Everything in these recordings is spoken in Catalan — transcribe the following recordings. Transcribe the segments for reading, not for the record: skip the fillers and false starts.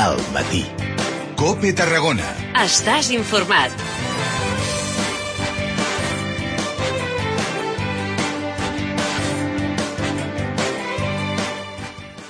Al matí. COPE Tarragona. Estàs informat.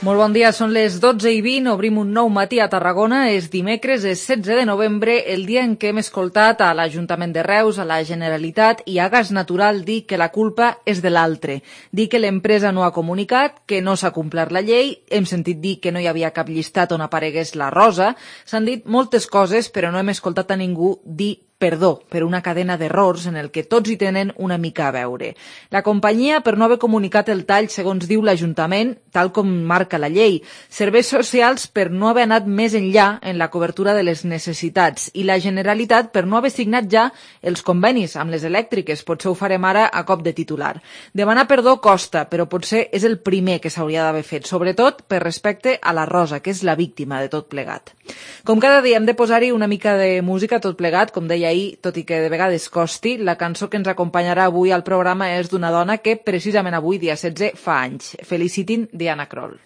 Molt bon dia, són les 12:20, obrim un nou matí a Tarragona, és dimecres, és 16 de novembre, el dia en què hem escoltat a l'Ajuntament de Reus, a la Generalitat i a Gas Natural dir que la culpa és de l'altre, dir que l'empresa no ha comunicat, que no s'ha complert la llei, hem sentit dir que no hi havia cap llistat on aparegués la rosa, s'han dit moltes coses però no hem escoltat a ningú dir perdó per una cadena d'errors en el que tots hi tenen una mica a veure. La companyia, per no haver comunicat el tall, segons diu l'Ajuntament, tal com marca la llei. Serveis socials per no haver anat més enllà en la cobertura de les necessitats. I la Generalitat per no haver signat ja els convenis amb les elèctriques. Potser ho farem ara a cop de titular. Demanar perdó costa, però potser és el primer que s'hauria d'haver fet, sobretot per respecte a la Rosa, que és la víctima de tot plegat. Com cada dia hem de posar-hi una mica de música tot plegat, com deia ahir, tot i que de vegades costi. La cançó que ens acompanyarà avui al programa és d'una dona que precisament avui, dia 16, fa anys. Felicitin Diana Krall.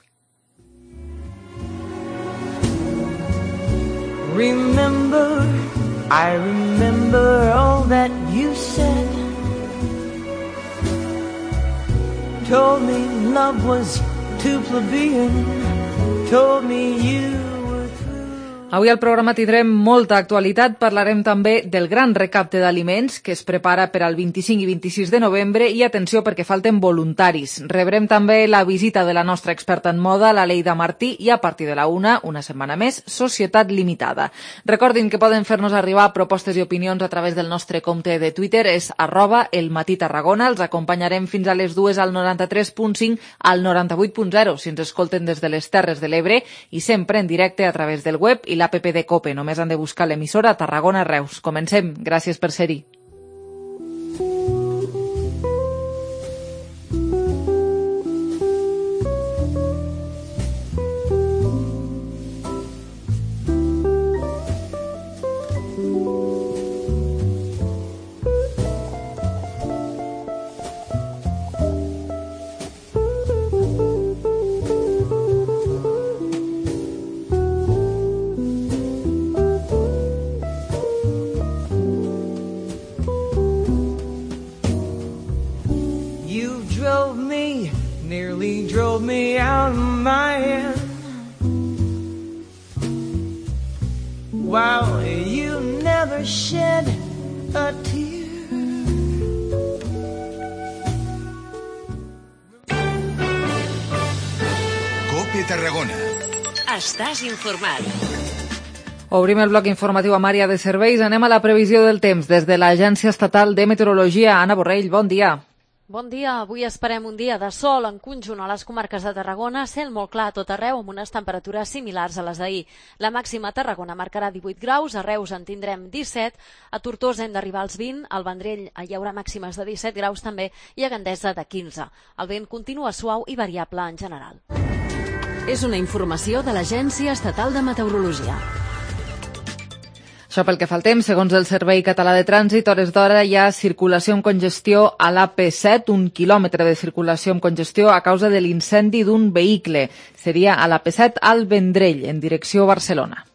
Remember, I remember all that you said. Told me love was too plebeian. Told me you. Avui al programa tindrem molta actualitat, parlarem també del gran recapte d'aliments que es prepara per al 25 i 26 de novembre i atenció perquè falten voluntaris. Rebrem també la visita de la nostra experta en moda, la Leida Martí, i a partir de la una setmana més, Societat Limitada. Recordin que poden fer-nos arribar propostes i opinions a través del nostre compte de Twitter, és @elmatí_tarragona. Els acompanyarem fins a les 2 al 93.5, al 98.0 si ens escolten des de les Terres de l'Ebre i sempre en directe a través del web i l'APP de COPE. Només han de buscar l'emissora Tarragona Reus. Comencem. Gràcies per ser-hi. Drove me out of my head. Wow, you never shed a tear. COPE Tarragona. Estàs informat. Obrim el bloc informatiu amb àrea de serveis. Anem a la previsió del temps des de l'Agència Estatal de Meteorologia. Anna Borrell, bon dia. Bon dia, avui esperem un dia de sol en conjunt a les comarques de Tarragona, cel molt clar a tot arreu amb unes temperatures similars a les d'ahir. La màxima a Tarragona marcarà 18 graus, a Reus en tindrem 17, a Tortosa hem d'arribar als 20, al Vendrell hi haurà màximes de 17 graus també i a Gandesa de 15. El vent continua suau i variable en general. És una informació de l'Agència Estatal de Meteorologia. Això pel que fa al temps, segons el Servei Català de Trànsit, a hores d'hora hi ha circulació amb congestió a l'AP7, 1 quilòmetre de circulació amb congestió a causa de l'incendi d'un vehicle. Seria a l'AP7 al Vendrell, en direcció Barcelona.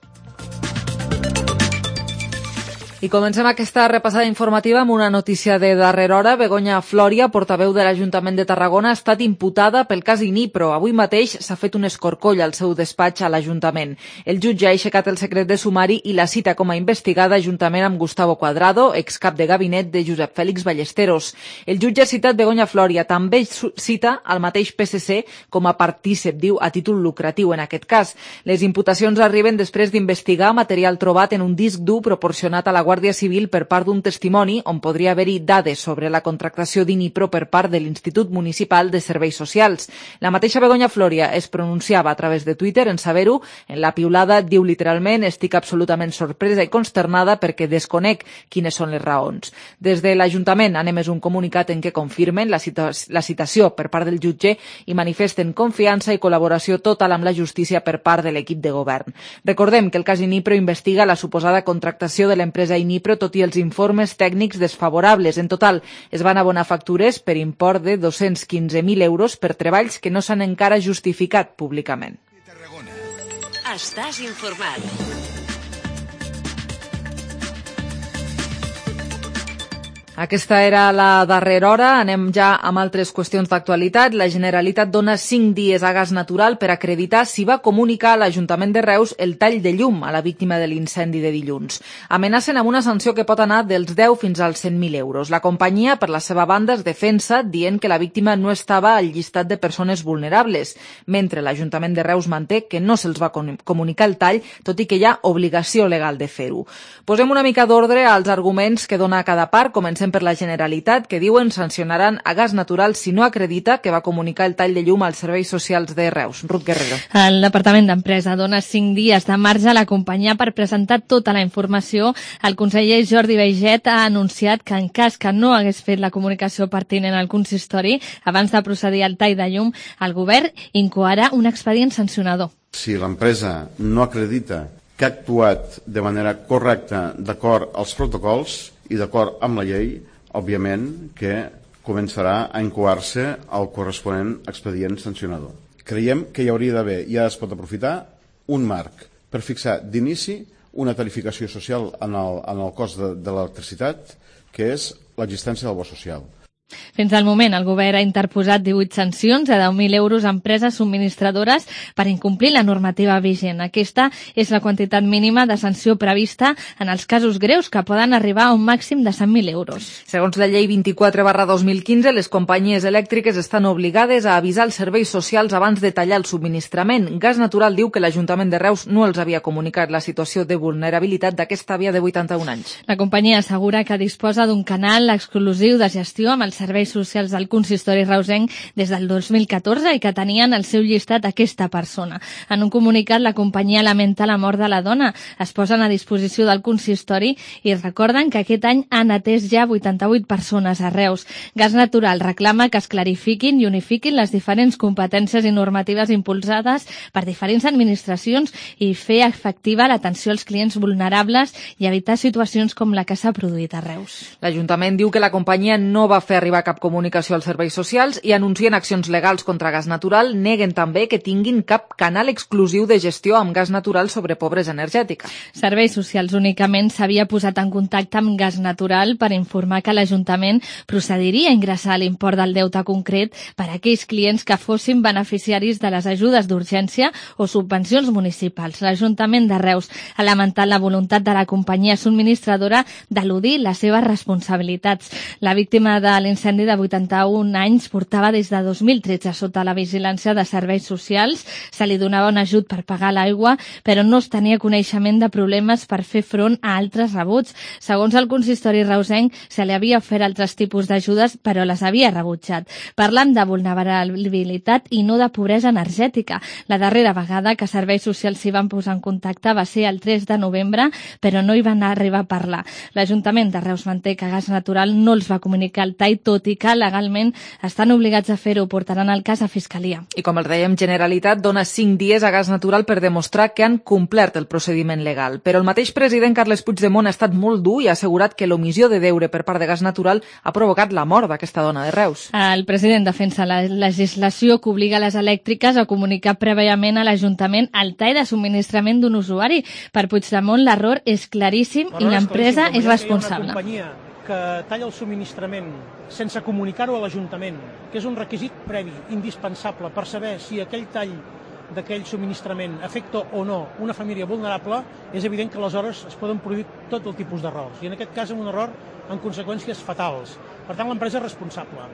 I comencem aquesta repassada informativa amb una notícia de darrera hora. Begoña Floria, portaveu de l'Ajuntament de Tarragona, ha estat imputada pel cas Inipro. Avui mateix s'ha fet un escorcoll al seu despatx a l'Ajuntament. El jutge ha aixecat el secret de sumari i la cita com a investigada juntament amb Gustavo Cuadrado, excap de gabinet de Josep Fèlix Ballesteros. El jutge ha citat Begoña Floria, també cita el mateix PSC com a partícip, diu, a títol lucratiu en aquest cas. Les imputacions arriben després d'investigar material trobat en un disc dur proporcionat a la Guàrdia Civil per part d'un testimoni on podria haver-hi dades sobre la contractació d'Inipro per part de l'Institut Municipal de Serveis Socials. La mateixa Begoña Floria es pronunciava a través de Twitter en saber-ho. En la piulada diu literalment: estic absolutament sorpresa i consternada perquè desconec quines són les raons. Des de l'Ajuntament han emès un comunicat en què confirmen la citació per part del jutge i manifesten confiança i col·laboració total amb la justícia per part de l'equip de govern. Recordem que el cas Inipro investiga la suposada contractació de l'empresa Inipro, tot i els informes tècnics desfavorables. En total, es van abonar factures per import de 215.000 euros per treballs que no s'han encara justificat públicament. estàs informat. Aquesta era la darrera hora. Anem ja amb altres qüestions d'actualitat. La Generalitat dona 5 dies a Gas Natural per acreditar si va comunicar a l'Ajuntament de Reus el tall de llum a la víctima de l'incendi de dilluns. Amenacen amb una sanció que pot anar dels 10 fins als 100.000 euros. La companyia, per la seva banda, es defensa dient que la víctima no estava al llistat de persones vulnerables, mentre l'Ajuntament de Reus manté que no se'ls va comunicar el tall, tot i que hi ha obligació legal de fer-ho. Posem una mica d'ordre als arguments que dona cada part. Comencem per la Generalitat, que diuen sancionaran a Gas Natural si no acredita que va comunicar el tall de llum als serveis socials de Reus. Ruth Guerrero. El Departament d'Empresa dona 5 dies de marge a la companyia per presentar tota la informació. El conseller Jordi Baiget ha anunciat que en cas que no hagués fet la comunicació pertinent al consistori abans de procedir al tall de llum, el govern incoarà un expedient sancionador. Si l'empresa no acredita que ha actuat de manera correcta d'acord als protocols i d'acord amb la llei, òbviament que començarà a incoar-se el corresponent expedient sancionador. Creiem que hi hauria d'haver, ja es pot aprofitar, un marc per fixar d'inici una tarificació social en el cost de l'electricitat, que és l'existència del bo social. Fins al moment, el govern ha interposat 18 sancions de 10.000 euros a empreses subministradores per incomplir la normativa vigent. Aquesta és la quantitat mínima de sanció prevista en els casos greus, que poden arribar a un màxim de 100.000 euros. Segons la llei 24/2015, les companyies elèctriques estan obligades a avisar els serveis socials abans de tallar el subministrament. Gas Natural diu que l'Ajuntament de Reus no els havia comunicat la situació de vulnerabilitat d'aquesta àvia de 81 anys. La companyia assegura que disposa d'un canal exclusiu de gestió amb els serveis socials del consistori reusenc des del 2014 i que tenien al seu llistat aquesta persona. En un comunicat, la companyia lamenta la mort de la dona. Es posen a disposició del consistori i recorden que aquest any han atès ja 88 persones a Reus. Gas Natural reclama que es clarifiquin i unifiquin les diferents competències i normatives impulsades per diferents administracions i fer efectiva l'atenció als clients vulnerables i evitar situacions com la que s'ha produït a Reus. L'Ajuntament diu que la companyia no va fer arribar cap comunicació als serveis socials i anuncien accions legals contra Gas Natural. Neguen també que tinguin cap canal exclusiu de gestió amb Gas Natural sobre pobresa energètica. Serveis Socials únicament s'havia posat en contacte amb Gas Natural per informar que l'Ajuntament procediria a ingressar l'import del deute concret per a aquells clients que fossin beneficiaris de les ajudes d'urgència o subvencions municipals. L'Ajuntament de Reus ha lamentat la voluntat de la companyia subministradora d'eludir les seves responsabilitats. La víctima de l'incendi de 81 anys portava des de 2013 sota la vigilància de serveis socials. Se li donava un ajut per pagar l'aigua, però no es tenia coneixement de problemes per fer front a altres rebuts. Segons el consistori reusenc, se li havia ofert altres tipus d'ajudes, però les havia rebutjat. Parlen de vulnerabilitat i no de pobresa energètica. La darrera vegada que serveis socials s'hi van posar en contacte va ser el 3 de novembre, però no hi van arribar a parlar. L'Ajuntament de Reus manté que Gas Natural no els va comunicar el tall, tot i que legalment estan obligats a fer-ho. Portaran el cas a Fiscalia. I com els dèiem, Generalitat dona 5 dies a Gas Natural per demostrar que han complert el procediment legal. Però el mateix president Carles Puigdemont ha estat molt dur i ha assegurat que l'omissió de deure per part de Gas Natural ha provocat la mort d'aquesta dona de Reus. El president defensa la legislació que obliga les elèctriques a comunicar prèviament a l'Ajuntament el tall de subministrament d'un usuari. Per Puigdemont l'error és claríssim i l'empresa és responsable. Que talla el subministrament sense comunicar-ho a l'Ajuntament, que és un requisit previ, indispensable, per saber si aquell tall d'aquell subministrament afecta o no una família vulnerable, és evident que aleshores es poden produir tot el tipus d'errors, i en aquest cas un error amb conseqüències fatals. Per tant, l'empresa és responsable.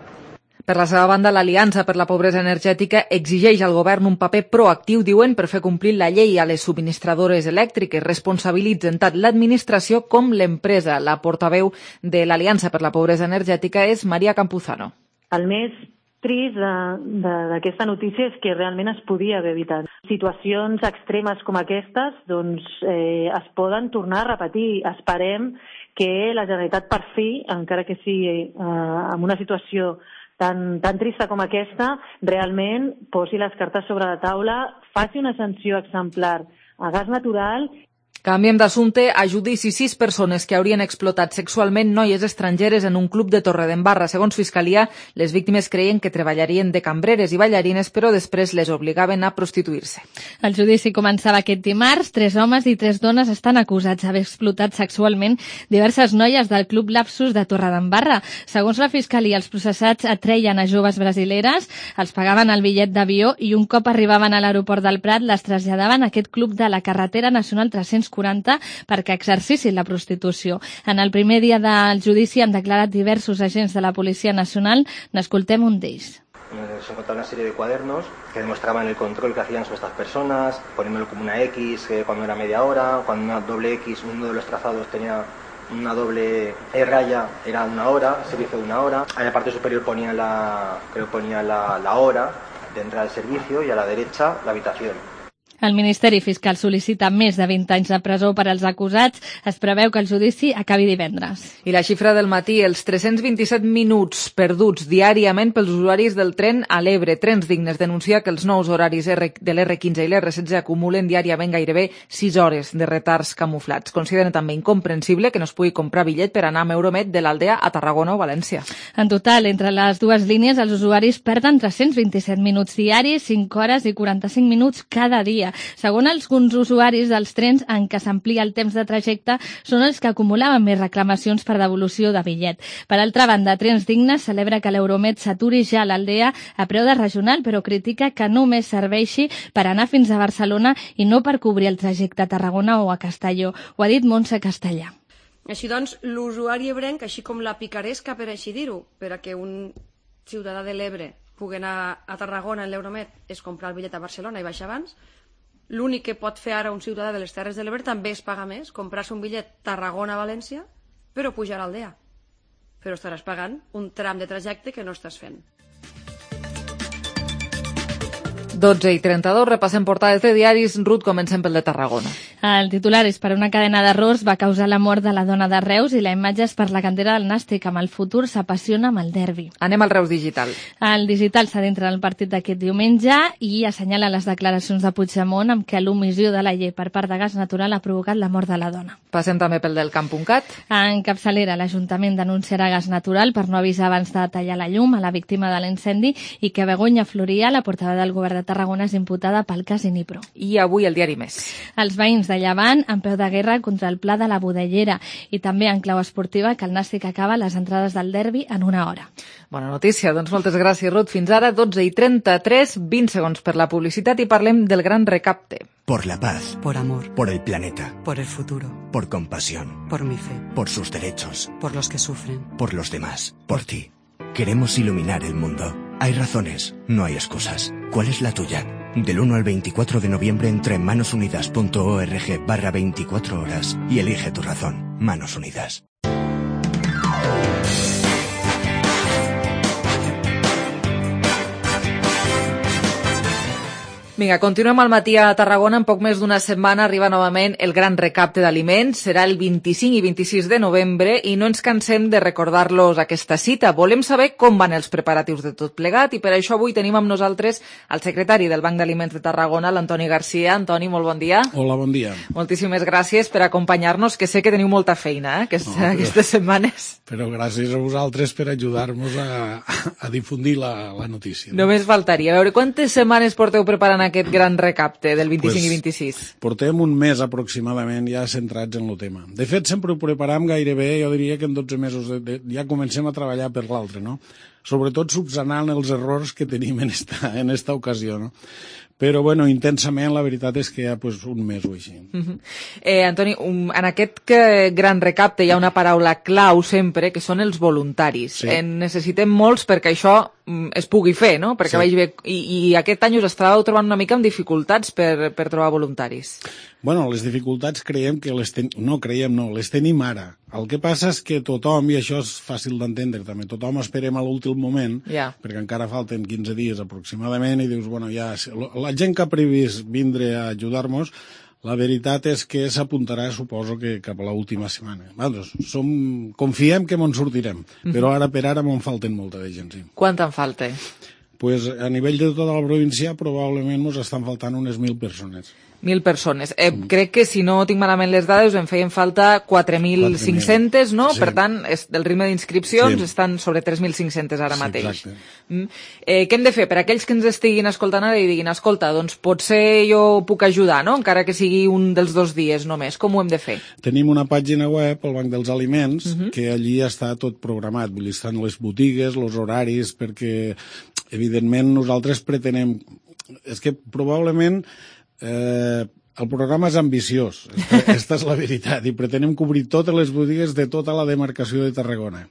Per la seva banda, l'Aliança per la Pobresa Energètica exigeix al govern un paper proactiu, diuen, per fer complir la llei a les subministradores elèctriques. Responsabilitzen tant l'administració com l'empresa. La portaveu de l'Aliança per la Pobresa Energètica és Maria Campuzano. El més trist d'aquesta notícia és que realment es podia haver evitat. Situacions extremes com aquestes es poden tornar a repetir. Esperem que la Generalitat per fi, encara que sigui en una situació tan trista com aquesta, realment posi les cartes sobre la taula, faci una sanció exemplar a Gas Natural. Canviem d'assumpte. A judici 6 persones que haurien explotat sexualment noies estrangeres en un club de Torredembarra. Segons Fiscalia, les víctimes creien que treballarien de cambreres i ballarines, però després les obligaven a prostituir-se. El judici començava aquest dimarts. 3 homes i 3 dones estan acusats d'haver explotat sexualment diverses noies del club Lapsus de Torredembarra. Segons la Fiscalia, els processats atreien a joves brasileres, els pagaven el bitllet d'avió i un cop arribaven a l'aeroport del Prat les traslladaven a aquest club de la carretera nacional 340 perquè exercissin la prostitució. En el primer dia del judici han declarat diversos agents de la Policia Nacional. N'escoltem un d'ells. Se encontraba una serie de cuadernos que demostraban el control que hacían sobre estas personas, poniéndolo como una X cuando era media hora, cuando una doble X, uno de los trazados tenía una doble raya, era 1 hora, servicio de 1 hora. En la parte superior ponía la hora de entrada al servicio y a la derecha la habitación. El Ministeri Fiscal sol·licita més de 20 anys de presó per als acusats. Es preveu que el judici acabi divendres. I la xifra del matí, els 327 minuts perduts diàriament pels usuaris del tren a l'Ebre. Trens Dignes denuncia que els nous horaris de l'R15 i l'R16 acumulen diàriament gairebé 6 hores de retards camuflats. Consideren també incomprensible que no es pugui comprar bitllet per anar amb Euromet de l'Aldea a Tarragona o València. En total, entre les dues línies, els usuaris perden 327 minuts diaris, 5 hores i 45 minuts cada dia. Segons alguns usuaris dels trens en què s'amplia el temps de trajecte, són els que acumulaven més reclamacions per devolució de bitllet. Per altra banda, Trens Dignes celebra que l'Euromet s'aturi ja a l'Aldea a preu de regional, però critica que només serveixi per anar fins a Barcelona i no per cobrir el trajecte a Tarragona o a Castelló. Ho ha dit Montse Castellà. Així doncs, l'usuari ebrenc, així com la picaresca, per així dir-ho, per a que un ciutadà de l'Ebre pugui anar a Tarragona en l'Euromet és comprar el bitllet a Barcelona i baixar abans. L'únic que pot fer ara un ciutadà de les Terres de l'Ebre també és pagar més, comprar-se un bitllet Tarragona-València, però pujar a Aldea. Però estaràs pagant un tram de trajecte que no estàs fent. 12:32, repassem portades de diaris. Ruth, comencem pel de Tarragona. El titular és per una cadena d'errors va causar la mort de la dona de Reus i la imatge és per la cantera del Nàstic. Amb el futur s'apassiona amb el derbi. Anem al Reus Digital. El Digital s'adentra en el partit d'aquest diumenge i assenyala les declaracions de Puigdemont amb què l'omissió de la llei per part de Gas Natural ha provocat la mort de la dona. Passem també pel del Camp.cat. En capçalera, l'Ajuntament denunciarà Gas Natural per no avisar abans de tallar la llum a la víctima de l'incendi i que Begoña Floria, la portaveu del govern de Tarragona, és imputada pel cas Inipro. I avui el diari Més. Els veïns de Llevant en peu de guerra contra el pla de la Budellera i també en clau esportiva que el Nàstic acaba les entrades del derbi en 1 hora. Bona notícia, doncs moltes gràcies, Ruth. Fins ara, 12:33, 20 segons per la publicitat i parlem del gran recapte. Por la paz. Por amor. Por el planeta. Por el futuro. Por compasión. Por mi fe. Por sus derechos. Por los que sufren. Por los demás. Por ti. Queremos iluminar el mundo. Hay razones, no hay excusas. ¿Cuál es la tuya? Del 1 al 24 de noviembre entra en manosunidas.org/24 horas y elige tu razón. Manos Unidas. Vinga, continuem al matí a Tarragona. En poc més d'una setmana arriba novament el gran recapte d'aliments. Serà el 25 i 26 de novembre i no ens cansem de recordar-los aquesta cita. Volem saber com van els preparatius de tot plegat i per això avui tenim amb nosaltres el secretari del Banc d'Aliments de Tarragona, l'Antoni Garcia. Antoni, molt bon dia. Hola, bon dia. Moltíssimes gràcies per acompanyar-nos, que sé que teniu molta feina aquestes setmanes. Però gràcies a vosaltres per ajudar-nos a difundir la notícia. Només faltaria. A veure, quantes setmanes porteu preparant aquest gran recapte del 25 i 26? Portem un mes aproximadament ja centrats en el tema. De fet, sempre ho preparam gairebé, jo diria que en 12 mesos ja comencem a treballar per l'altre, no? Sobretot subsanant els errors que tenim en esta ocasió, no? Però, bueno, intensament, la veritat és que hi ha un mes o així. Antoni, en aquest gran recapte hi ha una paraula clau sempre, que són els voluntaris. Sí. En necessitem molts perquè això es pugui fer, no? Perquè vagi bé. I aquest any us estàveu trobant una mica amb dificultats per trobar voluntaris. Bueno, les dificultats les tenim ara. El que passa és que tothom, i això és fàcil d'entendre també, tothom esperem a l'últim moment, perquè encara falten 15 dies aproximadament, i dius, bueno, ja, la gent que ha previst vindre a ajudar-nos, la veritat és que s'apuntarà, suposo, que cap a l'última setmana. Confiem que me'n sortirem, però ara per ara me'n falten molta de gent, sí. Quant en falta? pues, a nivell de tota la província probablement ens estan faltant unes 1.000 persones. 1.000 persones. Crec que, si no tinc malament les dades, en feien falta 4.500, no? Sí. Per tant, el ritme d'inscripcions estan sobre 3.500 ara mateix. Què hem de fer? Per aquells que ens estiguin escoltant ara i diguin, escolta, doncs potser jo puc ajudar, no? Encara que sigui un dels 2 dies només. Com ho hem de fer? Tenim una pàgina web, el Banc dels Aliments, que allí està tot programat. Vull dir, estan les botigues, els horaris, perquè, evidentment, nosaltres pretenem... És que probablement el programa és ambiciós, aquesta és la veritat, i pretenem cobrir totes les botigues de tota la demarcació de Tarragona.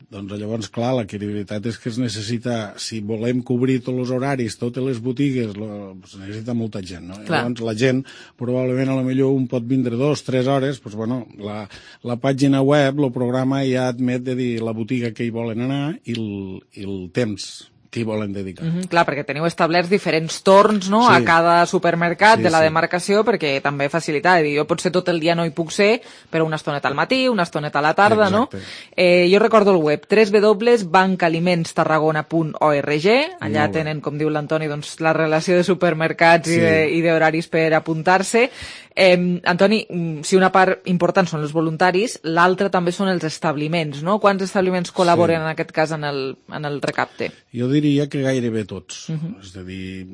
Doncs llavors, clar, la veritat és que es necessita, si volem cobrir tots els horaris, totes les botigues, es necessita molta gent, no? Llavors la gent, probablement, a lo millor un pot vindre 2-3 hores, doncs bueno, la pàgina web, el programa ja admet de dir la botiga que hi volen anar i el temps que hi volen dedicar. Clar, perquè teniu establerts diferents torns, no?, a cada supermercat de la demarcació, perquè també facilita, jo potser tot el dia no hi puc ser, però una estoneta al matí, una estoneta a la tarda, no? Jo recordo el web www.bancalimentstarragona.org, allà tenen, com diu l'Antoni, doncs, la relació de supermercats i d'horaris per apuntar-se. Antoni, si una part important són els voluntaris, l'altra també són els establiments, no? Quants establiments col·laboren en aquest cas en el recapte? Jo diria que gairebé tots, és a dir,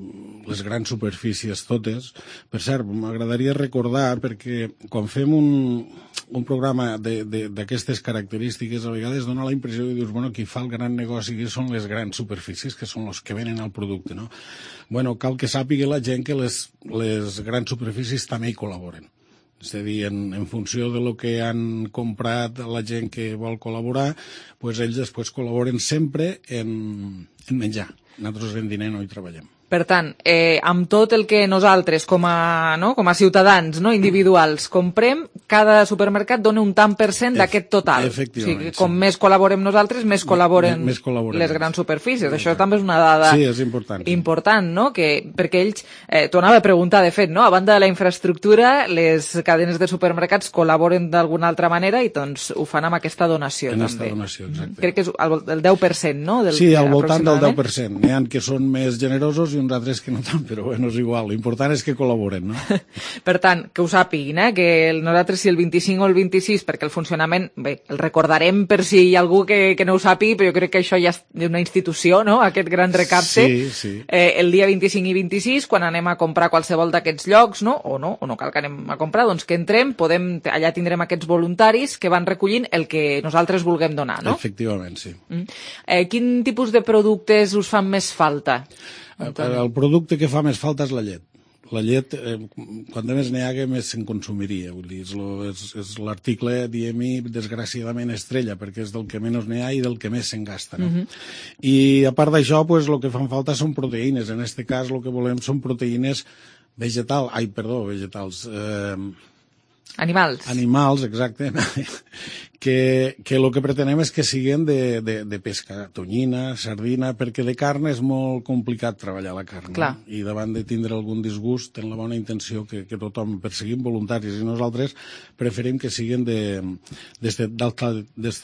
les grans superfícies totes. Per cert, m'agradaria recordar, perquè quan fem un programa d'aquestes característiques, a vegades dona la impressió de dir, bueno, qui fa el gran negoci que són les grans superfícies, que són els que venen el producte, no? Bueno, cal que sàpiga la gent que les grans superfícies també hi col·laboren. És a dir, en funció de lo que han comprat la gent que vol col·laborar, doncs ells després col·laboren sempre en menjar. Nosaltres en diner no hi treballem. Per tant, amb tot el que nosaltres, com a ciutadans individuals, comprem, cada supermercat dona un tant % d'aquest total. Efectivament. O sigui, com més col·laborem nosaltres, més col·laboren les grans superfícies. Això també és una dada important, no? Perquè ells, t'ho anava a preguntar, de fet, no? A banda de la infraestructura, les cadenes de supermercats col·laboren d'alguna altra manera i doncs ho fan amb aquesta donació. En aquesta donació, exacte. Crec que és el 10%, no? Sí, al voltant del 10%. N'hi ha que són més generosos i uns altres que no tant, però bueno, és igual. L'important és que col·laboren, no? Per tant, que ho sàpiguin, que nosaltres si el 25 o el 26, perquè el funcionament, bé, el recordarem per si hi ha algú que no ho sàpigui, però jo crec que això ja és una institució, no?, aquest gran recapte. Sí. El dia 25 i 26, quan anem a comprar qualsevol d'aquests llocs, no? O no cal que anem a comprar, doncs que entrem, allà tindrem aquests voluntaris que van recollint el que nosaltres vulguem donar, no? Efectivament, sí. Quin tipus de productes us fan més falta? El producte que fa més falta és la llet. La llet, quan més n'hi hagués, més se'n consumiria. Vull dir, és l'article, diguem-hi, desgraciadament estrella, perquè és del que menys n'hi ha i del que més se'n gasta. No? I a part d'això, el que fan falta són proteïnes. En aquest cas, el que volem són proteïnes vegetals. Animals, exacte. Que el que pretenem és que siguin de pesca, tonyina, sardina, perquè de carn és molt complicat treballar la carn. No? I davant de tindre algun disgust, ten la bona intenció que tothom perseguim voluntaris i nosaltres preferim que siguin d'aquest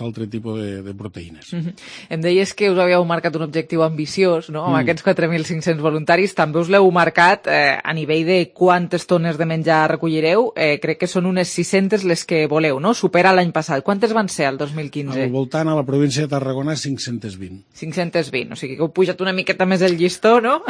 altre tipus de proteïnes. Em deies que us havíeu marcat un objectiu ambiciós, no? Amb aquests 4.500 voluntaris. També us l'heu marcat a nivell de quantes tones de menjar recollireu. Crec que són unes 600 les que voleu, no? Supera l'any passat. Quantes van ser el 2015? Al voltant, a la província de Tarragona, 520. 520, o sigui que heu pujat una miqueta més el llistó, no?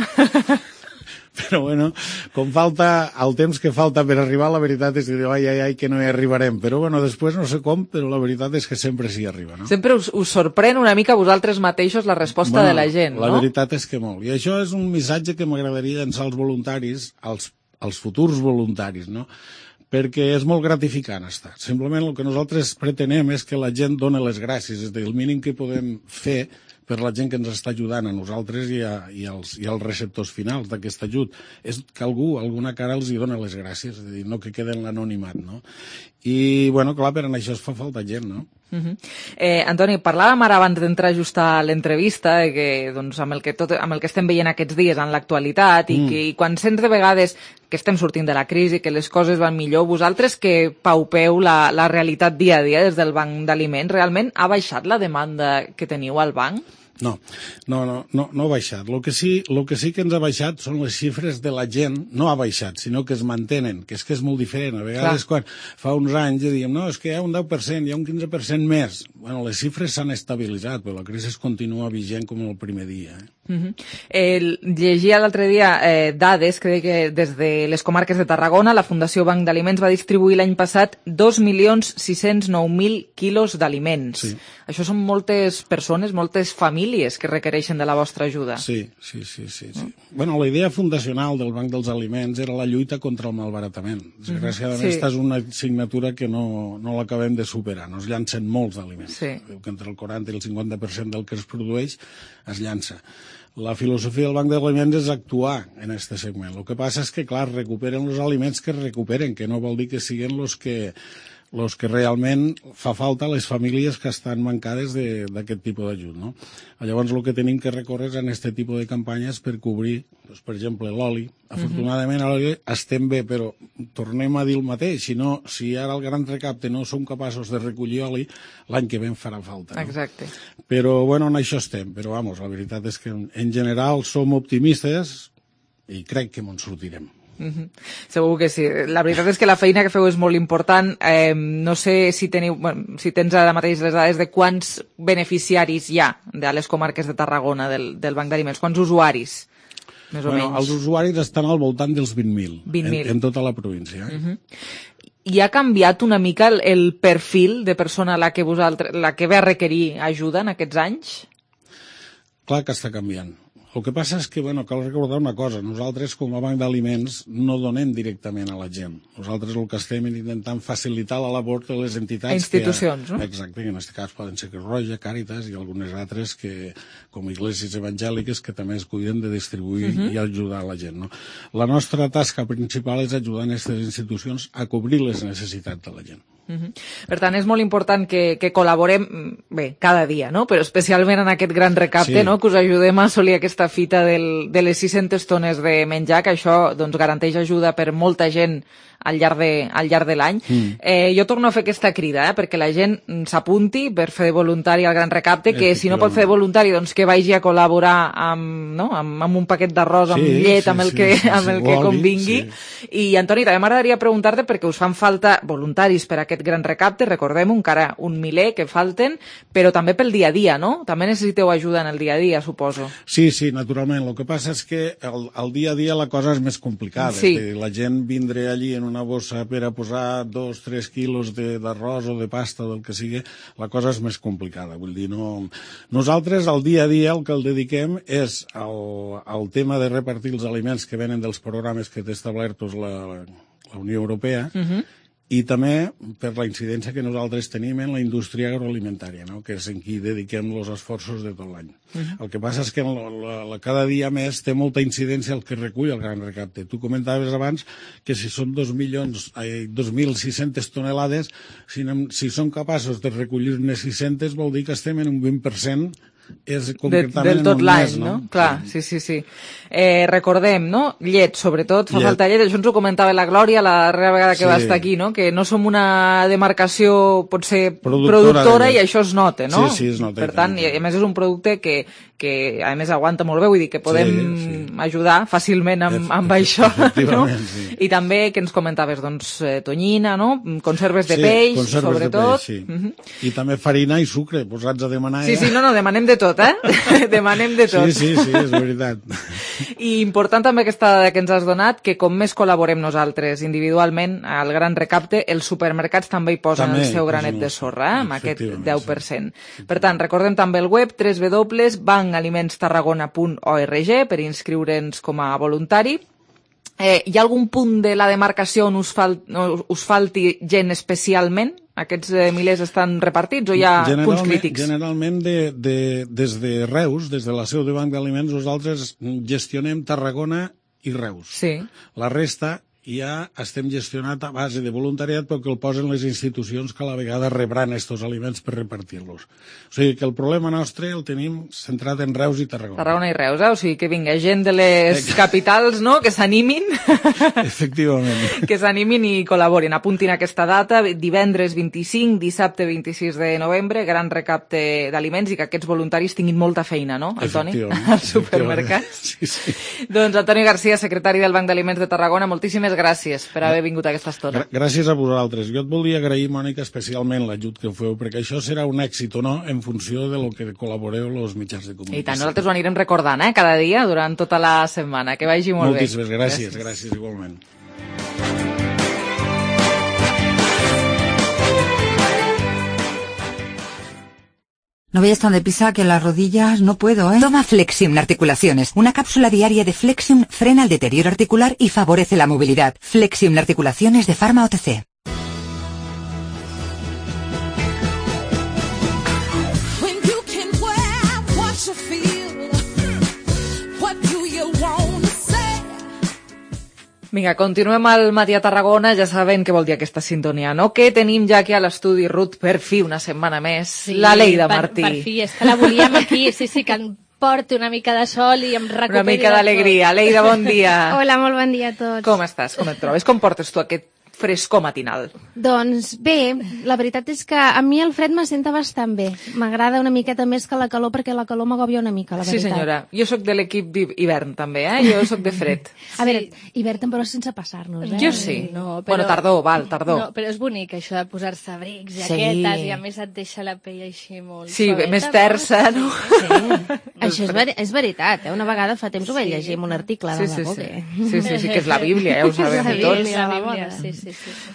Però bueno, com falta el temps que falta per arribar, la veritat és que diu, ai, que no hi arribarem. Però bueno, després no sé com, però la veritat és que sempre s'hi arriba, no? Sempre us sorprèn una mica vosaltres mateixos la resposta de la gent, no? La veritat és que molt. I això és un missatge que m'agradaria llançar als voluntaris, als futurs voluntaris, no? Perquè és molt gratificant estar. Simplement el que nosaltres pretenem és que la gent doni les gràcies, és a dir, el mínim que podem fer per la gent que ens està ajudant a nosaltres i als receptors finals d'aquest ajut és que alguna cara els hi dona les gràcies, és a dir, no que quede en l'anonimat, no? I, bueno, clar, per això es fa falta gent, no? Antoni, parlàvem ara abans d'entrar just a l'entrevista que doncs, amb el que estem veient aquests dies en l'actualitat i quan sents de vegades que estem sortint de la crisi, que les coses van millor, vosaltres que paupeu la realitat dia a dia des del Banc d'Aliments, realment ha baixat la demanda que teniu al banc? No ha baixat. El que sí que ens ha baixat són les xifres de la gent, no ha baixat, sinó que es mantenen, que és molt diferent. A vegades, quan fa uns anys dèiem, no, és que hi ha un 10%, hi ha un 15% més. Bueno, les xifres s'han estabilitzat, però la crisi continua vigent com el primer dia. Llegia l'altre dia dades que deia que des de les comarques de Tarragona la Fundació Banc d'Aliments va distribuir l'any passat 2.609.000 quilos d'aliments. Sí. Això són moltes persones, moltes famílies que requereixen de la vostra ajuda. Sí. Bueno, la idea fundacional del Banc dels Aliments era la lluita contra el malbaratament. Desgraciadament, aquesta és una assignatura que no l'acabem de superar. Nos llancen molts d'aliments. Que entre el 40 i el 50% del que es produeix es llança. La filosofia del Banc d'Aliments és actuar en aquest segment. El que passa és que, clar, recuperen els aliments que es recuperen, que no vol dir que siguin els que realment fa falta a les famílies que estan mancades d'aquest tipus d'ajut, no? Llavors, el que tenim que recórrer és en aquest tipus de campanyes per cobrir, doncs, per exemple, l'oli. Afortunadament, a l'oli estem bé, però tornem a dir el mateix. Si ara el gran recapte no som capaços de recollir oli, l'any que ve en farà falta. No? Exacte. Però, bueno, en això estem. Però, vamos, la veritat és que en general som optimistes i crec que me'n sortirem. Segur que sí. La veritat és que la feina que feu és molt important. No sé si tens ara mateix les dades de quants beneficiaris hi ha de les comarques de Tarragona del Banc d'Aliments, quants usuaris, més o menys. Els usuaris estan al voltant dels 20.000 en tota la província. I ha canviat una mica el perfil de persona la que ve a requerir ajuda en aquests anys? Clar que està canviant. El que passa és que, cal recordar una cosa. Nosaltres, com a Banc d'Aliments, no donem directament a la gent. Nosaltres el que estem intentant facilitar la labor de les entitats... Institucions, no? Exacte, que en aquest cas poden ser Creu Roja, Càritas i algunes altres com iglesias evangèliques que també es cuiden de distribuir i ajudar a la gent, no? La nostra tasca principal és ajudar a aquestes institucions a cobrir les necessitats de la gent. Per tant, és molt important que col·laborem, bé, cada dia, no? Però especialment en aquest gran recapte, no? Que us ajudem a assolir aquesta fita de les 600 tones de menjar, que això garanteix ajuda per molta gent al llarg de l'any. Jo torno a fer aquesta crida, perquè la gent s'apunti per fer de voluntari al gran recapte, que si no pot fer de voluntari, doncs que vagi a col·laborar amb un paquet d'arròs, amb llet, amb el que convingui. I, Antoni, també m'agradaria preguntar-te, perquè us fan falta voluntaris per a aquest gran recapte, recordem-ho, encara un miler que falten, però també pel dia a dia, no? També necessiteu ajuda en el dia a dia, suposo. Sí, naturalment. El que passa és que el dia a dia la cosa és més complicada. La gent vindré allí en una bossa per a posar 2-3 quilos d'arròs o de pasta, del que sigui, la cosa és més complicada. Vull dir, nosaltres al dia a dia el que el dediquem és al tema de repartir els aliments que venen dels programes que té establertos la Unió Europea, i també per la incidència que nosaltres tenim en la indústria agroalimentària, no? Que és en qui dediquem els esforços de tot l'any. El que passa és que cada dia més té molta incidència el que recull el gran recapte. Tu comentaves abans que si són 2.600 tonelades, si som capaços de recollir-ne 600, vol dir que estem en un 20% del tot l'any, no? Clar, sí. Recordem, no? Llet, sobretot, fa falta llet. Això ens ho comentava la Glòria la darrera vegada que va estar aquí, no? Que no som una demarcació, potser, productora i això es nota, no? Sí, es nota. Per tant, i a més és un producte que a més aguanta molt bé, vull dir que podem ajudar fàcilment amb això, no? I també, que ens comentaves, doncs, tonyina, no? Conserves de peix, sobretot. I també farina i sucre, posats a demanar. Sí, no, demanem de tot, Demanem de tot. Sí, és veritat. I important també aquesta dada que ens has donat, que com més col·laborem nosaltres individualment al gran recapte, els supermercats també hi posen el seu granet de sorra, amb aquest 10%. Per tant, recordem també el web www.bancalimentstarragona.org per inscriure'ns com a voluntari. Hi ha algun punt de la demarcació on us falti gent especialment? Aquests milers estan repartits o hi ha punts crítics? Generalment, des de Reus, des de la seu de Banc d'Aliments, nosaltres gestionem Tarragona i Reus. Sí. La resta ja estem gestionat a base de voluntariat perquè el posen les institucions que a la vegada rebran estos aliments per repartir-los. O sigui que el problema nostre el tenim centrat en Reus i Tarragona. Tarragona i Reus, o sigui que vinga gent de les capitals, no?, que s'animin. Efectivament. Que s'animin i col·laborin. Apuntin aquesta data, divendres 25, dissabte 26 de novembre, gran recapte d'aliments i que aquests voluntaris tinguin molta feina, no, el Toni? Al supermercat. Sí. Doncs Antoni Garcia, secretari del Banc d'Aliments de Tarragona, moltíssimes gràcies per haver vingut a aquesta estona. Gràcies a vosaltres. Jo et volia agrair, Mònica, especialment l'ajut que feu, perquè això serà un èxit o no en funció de lo que col·laboreu els mitjans de comunicació. I tant, nosaltres ho anirem recordant, cada dia, durant tota la setmana. Que vagi molt bé. Moltíssimes gràcies, igualment. No vayas tan deprisa que las rodillas no puedo, ¿eh? Toma Flexium Articulaciones. Una cápsula diaria de Flexium frena el deterioro articular y favorece la movilidad. Flexium Articulaciones de Pharma OTC. Vinga, continuem al Matí a Tarragona, ja saben què vol dir aquesta sintonia, no? Que tenim ja aquí a l'estudi, Ruth, per fi una setmana més, la Leida Martí. Per fi, és que la volíem aquí, sí, que em porti una mica de sol i em recuperi. Una mica d'alegria. Leida, bon dia. Hola, molt bon dia a tots. Com estàs? Com et trobes? Com portes tu aquest frescor matinal? Doncs bé, la veritat és que a mi el fred m'assenta bastant bé. M'agrada una miqueta més que la calor perquè la calor m'agòbia una mica, la veritat. Sí, senyora. Jo sóc de l'equip d'hivern també, Jo sóc de fred. A veure, hivern però sense passar-nos, Jo sí. No, però... Bueno, tardor. No, però és bonic això de posar-se abrics, jaquetes, i a més et deixa la pell així molt suaveta. Més tersa, no? Sí. Això és veritat, Una vegada fa temps ho vaig llegir en un article de la Vogue. Sí, que és la Bíblia, ja ho sabem tots. La Bíblia, sí.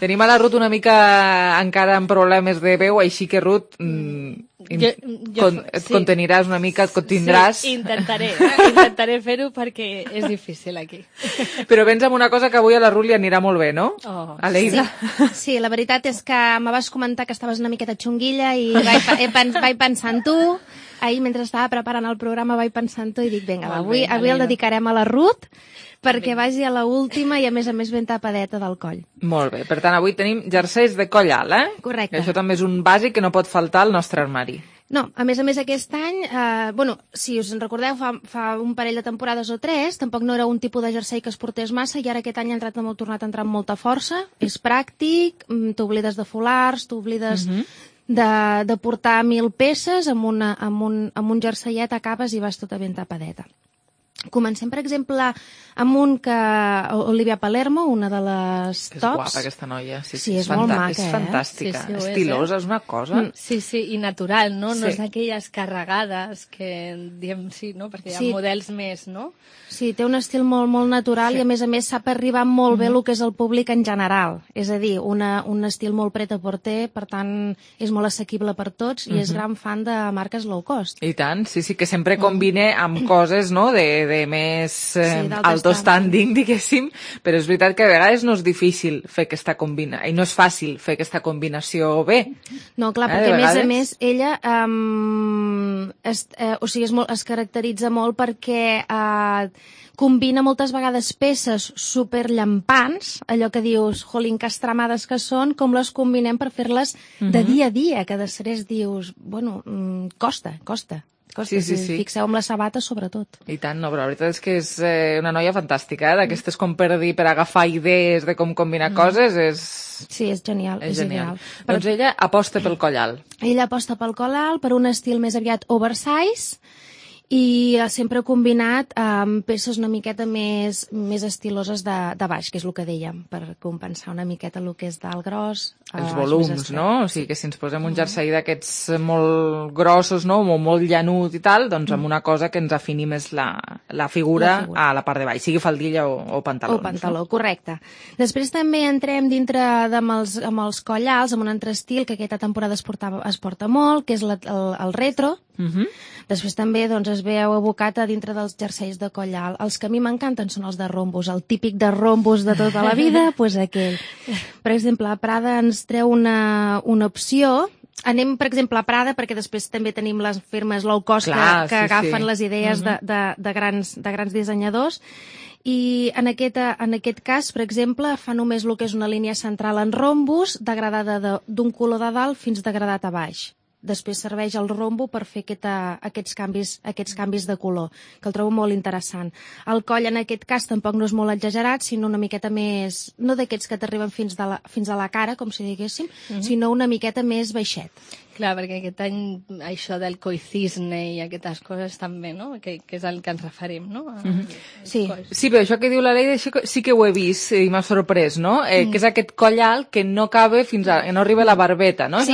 Tenim a la Ruth una mica encara amb problemes de veu, així que, Ruth, et conteniràs una mica, et contindràs. Sí, intentaré fer-ho perquè és difícil aquí. Però vens amb una cosa que avui a la Ruth li anirà molt bé, no? A Leida. Sí, la veritat és que me vas comentar que estaves una miqueta xunguilla i vaig pensar en tu. Ahir, mentre estava preparant el programa, vaig pensar en tu i dic, vinga, avui el dedicarem a la Ruth perquè vagi a la última i a més ben tapadeta del coll. Molt bé, per tant avui tenim jerseis de coll alt, Correcte. Això també és un bàsic que no pot faltar al nostre armari. No, a més aquest any, si us en recordeu, fa un parell de temporades o 3, tampoc no era un tipus de jersei que es portés massa i ara aquest any ha tornat a entrar amb molta força. És pràctic, t'oblides de folars, t'oblides de portar 1.000 peces, amb un jerseiet acabes i vas tota ben tapadeta. Comencem, per exemple, amb un que Olivia Palermo, una de les tops. És guapa aquesta noia. Sí, és molt maca, És fantàstica, estilosa, és una cosa. Sí, i natural, no? No és d'aquelles carregades que diem sí, no? Perquè hi ha models més, no? Sí, té un estil molt, molt natural i a més sap arribar molt bé el que és el públic en general. És a dir, un estil molt pret-a-porter, per tant, és molt assequible per tots i és gran fan de marques low cost. I tant, sí, que sempre combina amb coses, no?, de més alto standing, diguéssim, però és veritat que a vegades no és difícil fer aquesta combinació, i no és fàcil fer aquesta combinació bé. No, clar, perquè a més ella es caracteritza molt perquè combina moltes vegades peces superllampants, allò que dius, jolín, que estremades que són, com les combinem per fer-les de dia a dia, que després dius, bueno, costa. Sí. Fixeu amb les sabates, sobretot. I tant, no, però la veritat és que és una noia fantàstica, d'aquestes com per dir, per agafar idees de com combinar coses, Sí, és genial. És genial. Doncs ella aposta pel coll alt. Ella aposta pel coll alt, per un estil més aviat oversize, i sempre combinat amb peces una miqueta més estiloses de baix, que és el que dèiem, per compensar una miqueta el que és d'alt gros. Els volums, no? O sigui que si ens posem un jersei d'aquests molt grossos, no?, molt llanut i tal, doncs amb una cosa que ens afini més la figura a la part de baix, sigui faldilla o pantalons. O pantaló, correcte. Després també entrem dintre amb els coll alts, amb un altre estil que aquesta temporada es porta molt, que és el retro. Després també es veu abocat a dintre dels jerseis de coll alt. Els que a mi m'encanten són els de rombos, el típic de rombos de tota la vida, doncs aquell. Per exemple, Prada ens treu una opció. Anem, per exemple, a Prada, perquè després també tenim les firmes low cost que agafen les idees de grans dissenyadors. I en aquest cas, per exemple, fa només el que és una línia central en rombus, degradada d'un color de dalt fins degradat a baix. Després serveix el rombo per fer aquests canvis de color, que el trobo molt interessant. El coll en aquest cas tampoc no és molt exagerat, sinó una miqueta més, no d'aquests que t'arriben fins a la cara, com si diguéssim, sinó una miqueta més baixet. Clar, perquè aquest any això del coicisne i aquestes coses també, no? Que és el que ens referim, no? Sí, però això que diu la Leida sí que ho he vist i m'ha sorprès, no? Que és aquest coll alt que no cabe que no arriba a la barbeta, no? Sí.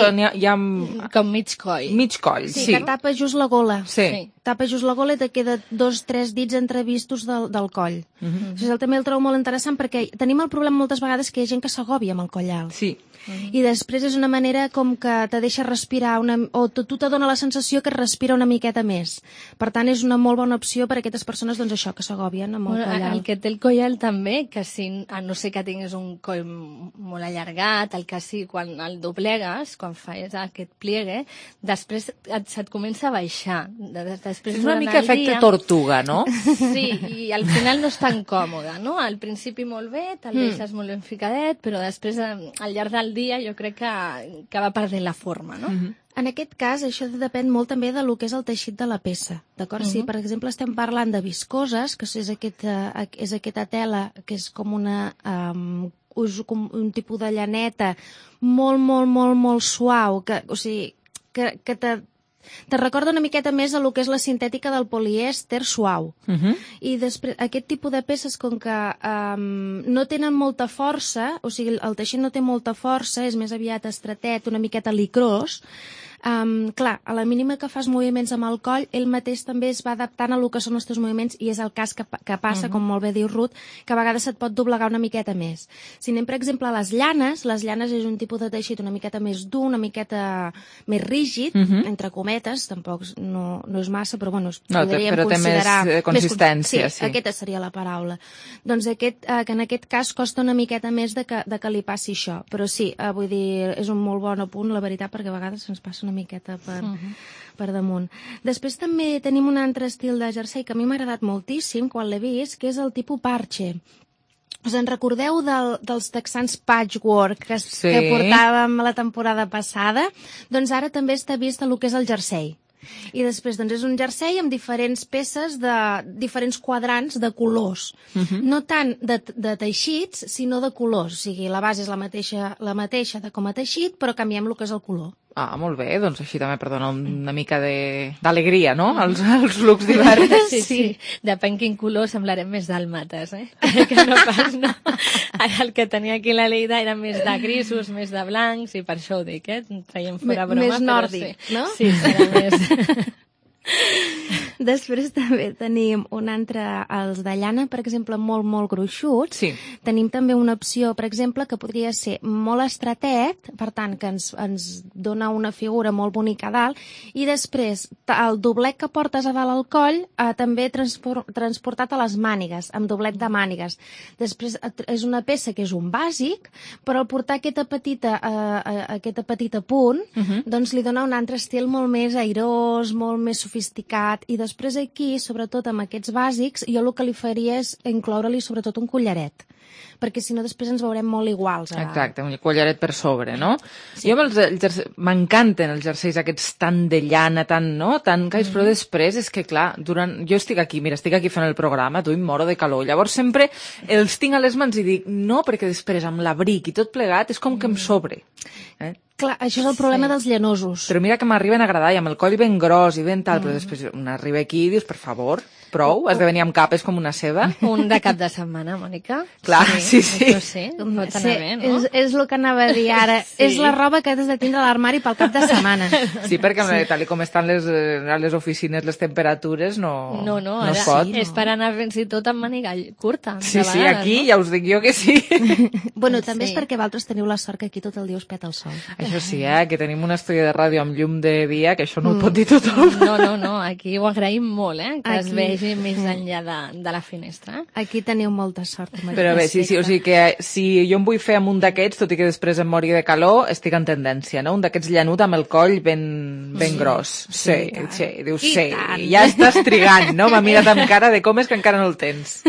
Com mig coll. Mig coll, sí. Que tapa just la gola. Sí. Tapa just la gola i te queda 2-3 dits entrevistos del coll. Això també el trobo molt interessant perquè tenim el problema moltes vegades que hi ha gent que s'agòbia amb el coll alt. Sí. I després és una manera com que te deixa respirar o tu te dona la sensació que es respira una miqueta més. Per tant, és una molt bona opció per a aquestes persones, doncs això, que s'agòbien amb el coll alt. El que té el coll alt també, que si, a no ser que tinguis un coll molt allargat, el que sí, quan el doblegues, quan fas aquest pliegue, després se't comença a baixar. És una mica efecte tortuga, no? Sí, i al final no és tan còmode, no? Al principi molt bé, te'l deixes molt ben ficadet, però després, al llarg del dia, jo crec que va perdent la forma, no? En aquest cas, això depèn molt també del que és el teixit de la peça, d'acord? Si, per exemple, estem parlant de viscoses, que és aquesta tela que és com un tipus de llaneta molt, molt, molt, molt suau, que te recorda una miqueta més a lo que és la sintètica del polièster suau. I després, aquest tipus de peces, com que no tenen molta força, o sigui, el teixit no té molta força, és més aviat estretet, una miqueta licrós, clar, a la mínima que fas moviments amb el coll, ell mateix també es va adaptant a lo que són els teus moviments i és el cas que passa, com molt bé diu Ruth, que a vegades se't pot doblegar una miqueta més. Si anem, per exemple, a les llanes és un tipus de teixit una miqueta més dur, una miqueta més rígid, entre cometes, tampoc no és massa, però bueno, podríem considerar... Però té més consistència, sí. Aquesta seria la paraula. Doncs que en aquest cas costa una miqueta més de que li passi això, però sí, vull dir, és un molt bon apunt, la veritat, perquè a vegades ens passa una miqueta per damunt. Després també tenim un altre estil de jersei que a mi m'ha agradat moltíssim quan l'he vist, que és el tipus parche. Us en recordeu dels texans patchwork que portàvem la temporada passada? Doncs ara també està vist el que és el jersei. I després doncs, és un jersei amb diferents peces de diferents quadrants de colors. No tant de teixits, sinó de colors. O sigui, la base és la mateixa de com a teixit, però canviem el que és el color. Ah, molt bé, doncs així també per donar una mica d'alegria, no?, als looks diversos. Sí. Depèn quin color semblarem més dàlmates, que no pas, no. Ara el que tenia aquí la Leida era més de grisos, més de blancs, i per això ho dic, traiem fora broma. Més nòrdic, no? Sí, serà més... Després també tenim un altre, els de llana, per exemple, molt, molt gruixuts. Sí. Tenim també una opció, per exemple, que podria ser molt estretet, per tant, que ens dona una figura molt bonica a dalt, i després el doblet que portes a dalt al coll també transportat a les mànigues, amb doblet de mànigues. Després és una peça que és un bàsic, però al portar aquesta petita punt, doncs li dona un altre estil molt més airós, molt més sofisticat, i després aquí, sobretot amb aquests bàsics, jo el que li faria és incloure-li sobretot un collaret, perquè si no després ens veurem molt iguals. Exacte, un collaret per sobre, no? Sí. Jo m'encanten els jerseis aquests tan de llana, tan cais, però després és que, clar, jo estic aquí fent el programa, tu em moro de calor, llavors sempre els tinc a les mans i dic, no, perquè després amb l'abric i tot plegat és com que em sobre. Clar, això és el problema dels llanosos. Però mira que m'arriben a agradar, i amb el coll ben gros i ben tal, però després un arriba aquí i dius, per favor, prou, has de venir amb capes com una seda. Un de cap de setmana, Mònica. Clar, sí. Això sí, pot anar bé, no? És el que anava a dir ara. És la roba que has de tindre a l'armari pel cap de setmana. Sí, perquè tal com estan a les oficines les temperatures no es pot. És per anar fins i tot amb màniga curta. Sí, aquí ja us dic jo que sí. Bueno, també és perquè vosaltres teniu la sort que aquí tot el dia us peta el sol. Això sí, que tenim un estudi de ràdio amb llum de dia, que això no ho pot dir tothom. No, aquí ho agraïm molt, que es vegi més enllà de la finestra. Aquí teniu molta sort. Però bé, sí, o sigui que si jo em vull fer amb un d'aquests, tot i que després em mori de calor, estic en tendència, no? Un d'aquests llanut amb el coll ben gros. Sí, dius, ja estàs trigant, no? M'ha mirat amb cara de com és que encara no el tens.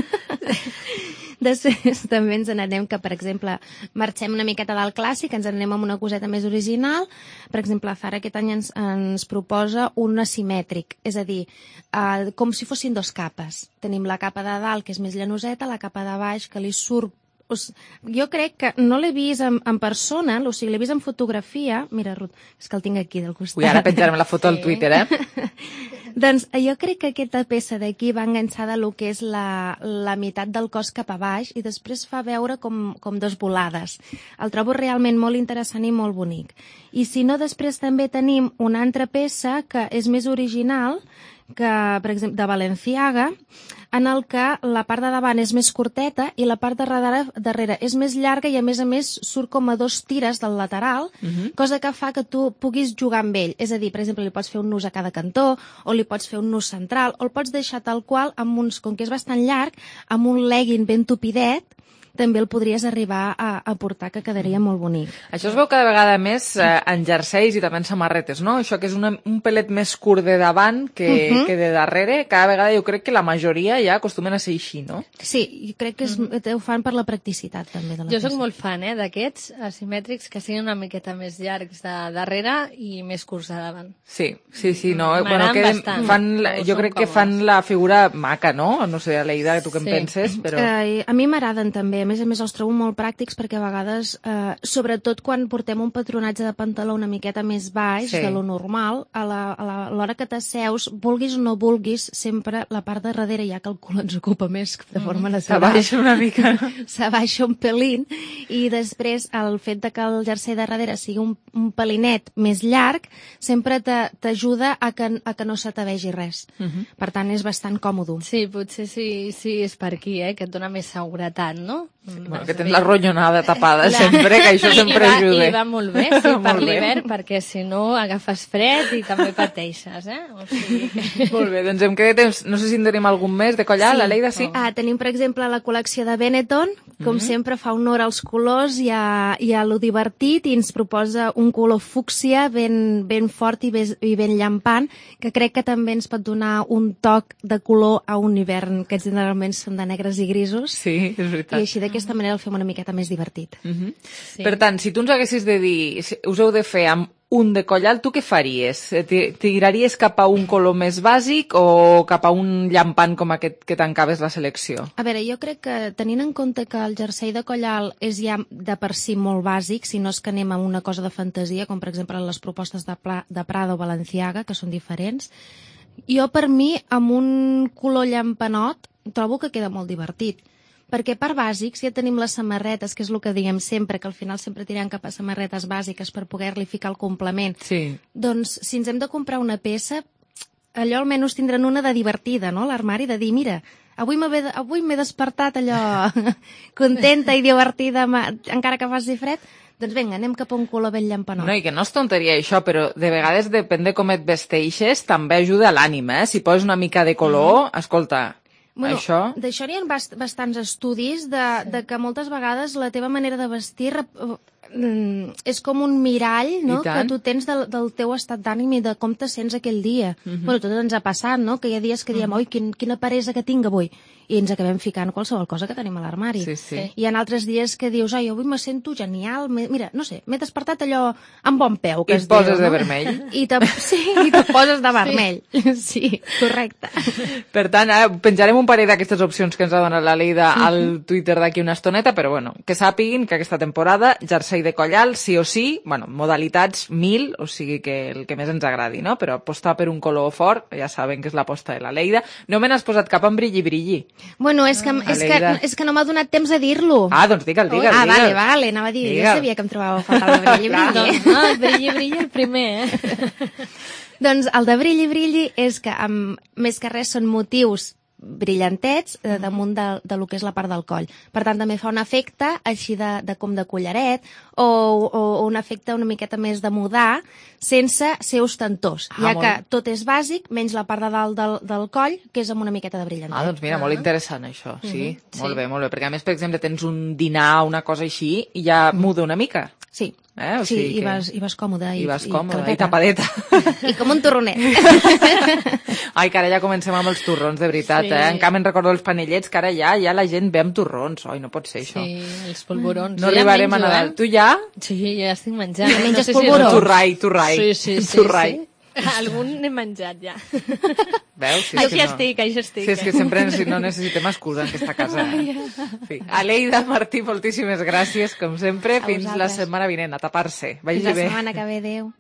Després també ens n'anem que, per exemple, marxem una miqueta del clàssic, ens n'anem amb una coseta més original. Per exemple, Zara aquest any ens proposa un asimètric, és a dir, com si fossin dos capes. Tenim la capa de dalt, que és més llanoseta, la capa de baix, que li surt... Jo crec que no l'he vist en persona, o sigui, l'he vist en fotografia. Mira, Ruth, és que el tinc aquí del costat. Ui, ara penjarem la foto al Twitter, Doncs jo crec que aquesta peça d'aquí va enganxada a lo que és la meitat del cos cap a baix i després fa veure com dos volades. El trobo realment molt interessant i molt bonic. I si no, després també tenim una altra peça que és més original, que, per exemple, de Balenciaga, en el que la part de davant és més curteta i la part de darrere és més llarga i a més surt com a dos tires del lateral, cosa que fa que tu puguis jugar amb ell. És a dir, per exemple, li pots fer un nus a cada cantó o li pots fer un nus central o el pots deixar tal qual, com que és bastant llarg, amb un legging ben tupidet, també el podries arribar a portar, que quedaria molt bonic. Això es veu cada vegada més en jerseis i també en samarretes, no? Això que és un pelet més curt de davant que de darrere, cada vegada jo crec que la majoria ja acostumen a ser així, no? Sí, jo crec que ho fan per la practicitat també de la Jo soc molt fan d'aquests asimètrics que siguin una miqueta més llargs de darrere i més curts de davant. Sí, no? Jo crec que fan la figura maca, no? No sé, Aleida, tu què en penses? Però... A mi m'agraden també. A més els trobo molt pràctics perquè a vegades, sobretot quan portem un patronatge de pantaló una miqueta més baix de lo normal, a l'hora que t'asseus, vulguis o no vulguis, sempre la part de darrere, ja que el cul ens ocupa més de forma natural. S'abaixa una mica. S'abaixa un pelín i després el fet de que el jersei de darrere sigui un pelinet més llarg sempre t'ajuda a que no se te vegi res. Per tant, és bastant còmode. Sí, potser sí és per aquí, que et dona més seguretat, no? Bueno, que tens la ronyonada tapada sempre, que això sempre ajuda. I va molt bé, sí, per l'hivern, perquè si no agafes fred i també pateixes, O sigui que... Molt bé, doncs hem quedat, no sé si en tenim algun més de collal, Aleida, sí? Tenim, per exemple, la col·lecció de Benetton, com sempre fa honor als colors i a lo divertit, i ens proposa un color fúcsia ben fort i ben llampant, que crec que també ens pot donar un toc de color a un hivern que generalment són de negres i grisos. Sí, és veritat. I així d'aquesta manera el fem una miqueta més divertit. Per tant, si tu ens haguessis de dir, us heu de fer amb un de collal, tu què faries? Tiraries cap a un color més bàsic o cap a un llampant com aquest que tancaves la selecció? A veure, jo crec que tenint en compte que el jersei de collal és ja de per si molt bàsic, si no és que anem a una cosa de fantasia, com per exemple les propostes de Prada o Balenciaga, que són diferents, jo per mi amb un color llampanot trobo que queda molt divertit. Perquè per bàsics ja tenim les samarretes, que és el que diem sempre, que al final sempre tirem cap a samarretes bàsiques per poder-li ficar el complement. Sí. Doncs si ens hem de comprar una peça, allò almenys tindran una de divertida, no?, l'armari, de dir, mira, avui m'he despertat allò contenta i divertida, encara que faci fred, doncs vinga, anem cap a un color ben llampanot. No, i que no és tonteria això, però de vegades depèn de com et vesteixes, també ajuda a l'ànima, Si poses una mica de color, escolta... Bueno, això... D'això n'hi ha bastants estudis de que moltes vegades la teva manera de vestir és com un mirall, no?, que tu tens del teu estat d'ànim i de com te sents aquell dia. Bueno, tot ens ha passat, no?, que hi ha dies que diem, oi, quina peresa que tinc avui, i ens acabem ficant qualsevol cosa que tenim a l'armari. Sí. Hi ha altres dies que dius, ai, avui me sento genial, mira, no sé, m'he despertat allò amb bon peu, que I et poses de vermell. I te poses de vermell. Sí, correcte. Per tant, penjarem un parell d'aquestes opcions que ens ha donat la Leida al Twitter d'aquí una estoneta, però bueno, que sàpiguin que aquesta temporada, jersei de collal, sí o sí, bueno, modalitats 1000, o sigui que el que més ens agradi, no? Però apostar per un color fort, ja saben que és l'aposta de la Leida. No me n'has posat cap en brilli. Bueno, és que no m'ha donat temps de dir-lo. Doncs digue'l. Vale, anava a dir, jo sabia que em trobava a faltar el brilli. No, el brilli el primer, Doncs el de brilli és que més que res són motius brillantets damunt de lo que és la part del coll. Per tant, també fa un efecte així com de collaret o un efecte una miqueta més de mudar sense ser ostentós, ja que tot és bàsic, menys la part de dalt del coll, que és amb una miqueta de brillantet. Doncs mira, molt interessant això, sí. Molt bé, perquè a més, per exemple, tens un dinar o una cosa així i ja muda una mica. Sí. O sí, sigui i vas còmode. I vas còmode, i tapadeta. I com un torronet. Ai, que ara ja comencem amb els torrons, de veritat, Sí. En canvi, recordo els panellets, que ara ja la gent ve amb torrons. Oi, no pot ser això. Sí, els polvorons. No arribarem a Nadal. Tu ja? Sí, ja estic menjant. Ja menges polvorons? Torrai. Sí. Algun n'he menjat ja. Veus? Si Així estic. Si és que sempre no necessitem excusa en aquesta casa. Sí. Aleida, Martí, moltíssimes gràcies, com sempre. Fins la setmana vinent, a tapar-se. Vagi bé. La setmana que ve, adéu.